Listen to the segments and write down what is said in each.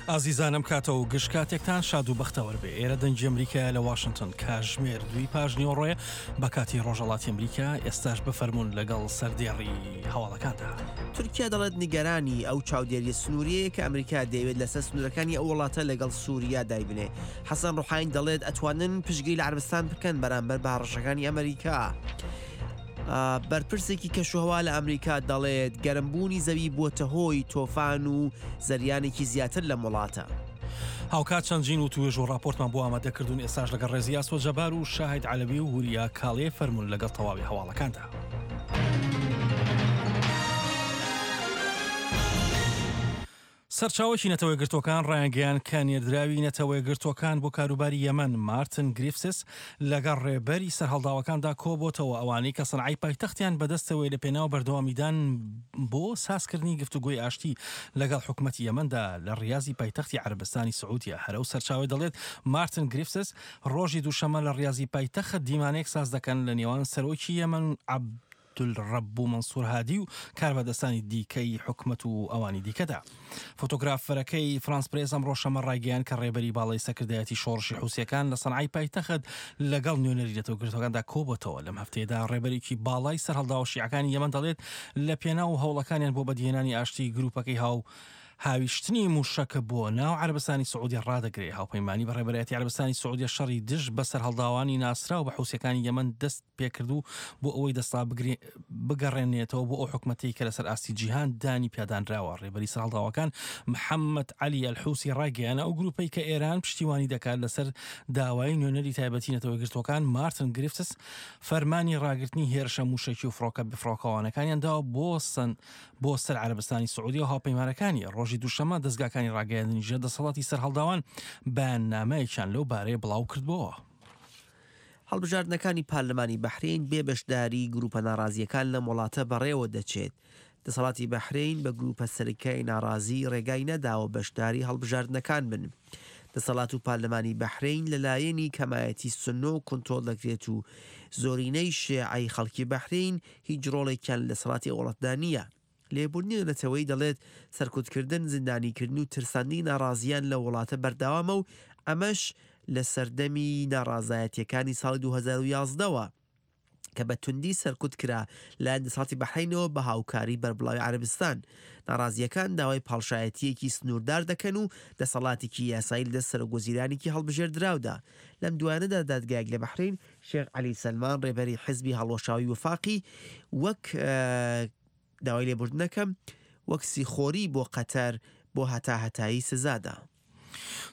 ئازیزان ئەم کاتە و گشت کاتێکتان شاد و بەختەوەر بێ ئێرە دەنگی ئەمریکایە لە واشنتن کاژمێر دووی پاش نیوەڕۆیە بە کاتی ڕۆژەڵاتی ئەمریکا ئێستاش بفەرمونون لەگەڵ سەردێڕی هەواڵەکاندا. تورکیا دەڵێت نیگەرانی ئەو چاودێریە سنووریەیە کە ئەمریکا دەیەوێت لەسەر سنوورەکانی ئەو وڵاتە لەگەڵ سووریا دایبنێ. حەسەن ڕوحانی دەڵێت ئەتوانن پشتگیری لە عەرەبستان بکەن بەرامبەر بە هەڕەشەکانی ئەمریکا. بەرپرسێکی کەشوهەوا لە ئەمریکا دەڵێت گەرمبوونی زەوی بووەتە هۆی تۆفان و زریانێکی زیاتر لەم وڵاتە. هاوکات چەندین وتوێژ و ڕاپۆرتمان بۆ ئامادە کردوون ئێستاش لەگەڵ ڕێزی ئاسۆ جەبار و شاهید عەلەوی و وریا کاڵێ فەرموون لەگەڵ تەواوی هەواڵەکاندا. سەرچاوەکی نەتەوەیەکگرتووەکان ڕایانگەیاند کە نێردراوی نەتەوەیەکگرتووەکان بۆ کاروباری یەمەن مارتن گریفسس لەگەڵ ڕێبەری سەرهەڵداوەکاندا کۆبۆتەوە ئەوانەی کە سەنعای پایتەختیان بەدەستەوەیە لە پێناو بەردەوامیدان بۆ سازکردنی گفتوگۆی ئاشتی لەگەڵ حکومەتی یەمەندا لە ڕیازی پایتەختی عەرەبستانی سعودیە. هەر ئەو سەرچاوەی دەڵێت مارتن گریفسس ڕۆژی دووشەممە لە ڕیازی پایتەخت دیمانەیەک ساز دەکەن لە نێوان سەرۆکی یەمەن عەبدولڕەبو مەنسور هادی و کاربەدەستانی دیکەی حکومەت و ئەوانی دیکەدا. فۆتۆگرافەرەکەی فرانس پرێس ئەمڕۆ شەممە ڕایگەیاند کە ڕێبەری باڵای سەرکردایەتی شۆڕشی حوسییەکان لە سەنعای پایتەخت لەگەڵ نوێنەری نەتەوەگرتووەکاندا کۆبۆتەوە. لەم هەفتەیەدا ڕێبەرێکی باڵای سەرهەڵداوە شیعەکانی یەمەن دەڵێت لە پێناو هەوڵەکانیان بۆ بەدیهێنانی ئاشتی گروپەکەی هاو هاویشتنی مووشەک بۆ ناو عەرەبستانی سعودیە ڕادەگرێ. هاوپەیمانی بە ڕێبەرایەتی عەرەبستانی سعودیە شەڕی دژ بە سەرهەڵداوانی ناسراو بە حوسییەکانی یەمەن دەست پێکرد و بۆ ئەوەی دەسەڵات بگەڕێنێتەوە بۆ ئەو حکومەتەی کە لەسەر ئاستی جیهان دانی پیادانراوە. ڕێبەری سەرهەڵداوەکان محەممەد عەلی ئەلحوسی ڕایگەیاند، ئەو گروپەی کە ئێران پشتیوانی دەکات لەسەر داوای نوێنەری تایبەتی نەتەوەیەکگرتووەکان مارتن گریفتس فەرمانی ڕاگرتنی هێرشە مووشەکی و فڕۆکە بێفڕۆکەوانەکانیان داوە بۆ بۆ سەر عەرەبستانی سعودیە و هاوپەیمانەکانی. ڕۆژی دووشەممە دەزگاکانی ڕاگەیاندنی ژێر دەسەڵاتی سەرهەڵداوان بەیاننامەیەکیان لەو بارەیە بڵاوکردبۆوە. هەڵبژاردنەکانی پارلمانی بەحرەین بێ بەشداریی گرووپە ناڕازییەکان لەم وڵاتە بەڕێوە دەچێت. دەسەڵاتی بەحرەین بە گرووپە سەرەکیی ناڕازی ڕێگای نەداوە بەشداری هەڵبژاردنەکان بن. دەسەڵات و پارلمانی بەحرەین لە لایەنی کەمایەتی سوننۆ کونترۆڵ دەکرێت و زۆرینەی شێعەی خەڵکی بەحرەین هیچ ڕۆڵێکیان لە دەسەڵاتی ئەو وڵاتەدا نییە. لێبوردنی نەتەوەیی دەڵێت، سەرکوتکردن، زیندانیکردن و ترساندنی ناڕازییان لەو وڵاتە بەردەوامە و ئەمەش لە سەردەمی ناڕازایەتییەکانی ساڵی 2011 وە کە بە توندی سەرکوت کرا لایەن دەسەڵاتی بەحرەینەوە بە هاوکاری بەربڵاوی عەرەبستان. ناڕازییەکان داوای پاڵشایەتییەکی سنووردار دەکەن و دەسەڵاتێکی یاسایی لەدەست سەرۆکوەزیرانێکی هەڵبژێردراودا. لەم دوایانەدا دادگایەک لە بەحرەین شێخ عەلی سەلمان ڕێبەری حزبی هەڵوەشاوەی وفاقی وەک داوای لێبوردن دەکەم وەک سیخۆری بۆ قەتەر بۆ هەتاهەتایی سزادا.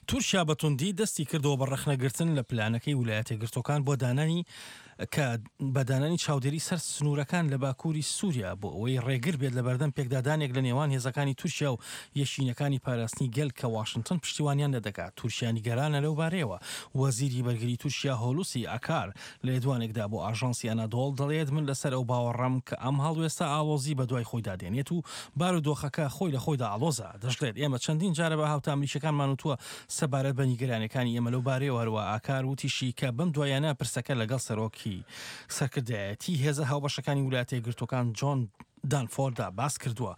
تورکیا بە توندی دەستی کردەوە بە ڕەخنەگرتن لە پلانەکەی ولایەتەکگرتووەکان بۆ دانانی کە بە دانانی چاودێری سەر سنوورەکان لە باکووری سووریا بۆ ئەوەی ڕێگر بێت لە بەردەم پێکدادانێک لە نێوان هێزەکانی تورکیا و یەکینەکانی پاراستنی گەل کە واشنتن پشتیوانیان لێ دەکات. تورکیا نیگەرانە لەو بارەیەوە. وەزیری بەرگری تورکیا هۆلوسی ئاکار لە لێدوانێکدا بۆ ئاژانسی ئەنادۆڵ دەڵێت من لەسەر ئەو باوەڕەم کە ئەم هەڵوێستە ئاڵۆزی بەدوای خۆیدا دێنێت و بارودۆخەکە خۆی لە خۆیدا ئاڵۆزە. دەشڵێت ئێمە چەندین جارە بە هاوتا ئەمریکیەکانمان وتووە سەبارەت بە نیگەرانیەکانی ئێمە لەو بارەیەوە هەروەها ئاکار وتیشی کە بەم دواییانە پرسەکە لەگەڵ سەرۆکی سەرکردایەتی هێزە هاوبەشەکانی ولایەتە یەکگرتووەکان جۆن دانفۆرددا باس کردووە.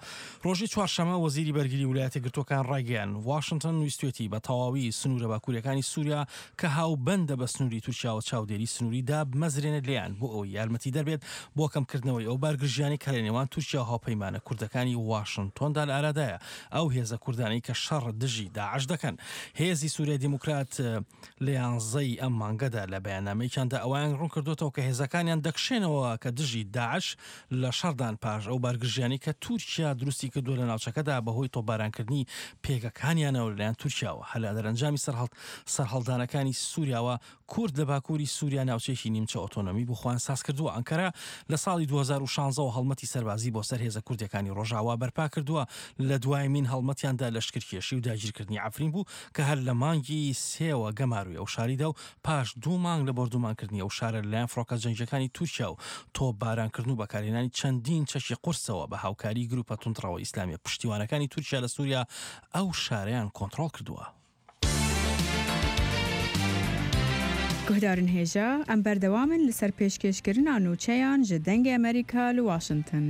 ڕۆژی چوارشەممە وەزیری بەرگری ولایەتە یەکگرتووەکان ڕایگەیاند، واشنتن ویستویەتی بە تەواوی سنوورە باکوورییەکانی سووریا کە هاوبەندە بە سنووری تورکیاوە چاودێری سنووری دابمەزرێنێت لێیان بۆ ئەوەی یارمەتیدەر بێت بۆ کەمکردنەوەی ئەو بارگرژیانەی کە لە نێوان تورکیا و هاوپەیمانە کوردەکانی واشنتۆندا لە ئارادایە ئەو هێزە کوردانەی کە شەڕ دژی داعش دەکەن. هێزی سووریای دیموکرات لە یانزەی ئەم مانگەدا لە بەیاننامەیەکیاندا ئەوەیان ڕوونکردۆتەوە کە هێزەکانیان دەکشێنەوە کە دژی داعش لە شەڕدان پاش ئەو بارگرژیانەی کە تورکیا دروستی کردووە لە ناوچەکەدا بەهۆی تۆپبارانکردنی پێگەکانیانەوە لەلایەن تورکیاوە هەر لە دەرەنجامی سەرهەڵدانەکانی سوریاوە کورد لە باکووری سوریا ناوچەیەکی نیمچە ئۆتۆنۆمی بۆ خۆیان سازکردووە ئەنکەرە لە ساڵی 2016 ەوە هەڵمەتی سەربازی بۆ سەر هێزە کوردیەکانی ڕۆژاوا بەرپا کردووە لە دوایمین هەڵمەتیاندا لەشکرکێشی و داگیرکردنی عەفرین بوو کە هەر لە مانگی سێوە گەمارۆی ئەو شاری دا و پاش دوو مانگ لە بۆردومانکردنی ئەو شارە لەلایەن فڕۆکە جەنگییەکانی تورکیا و تۆپبارانکردن و بەکارهێنانی چەندین چەکی قورسەوە بە هاوکاریی گروپە توندڕەوە ئیسلامییە پشتیوانەکانی تورکیا لە سوریا ئەو شارەیان کۆنتڕۆڵ کردووە. Guhdarên hêja, em berdewam in li ser pêşkêşkirina nûçeyan ji Dengê Amerîka li Washington.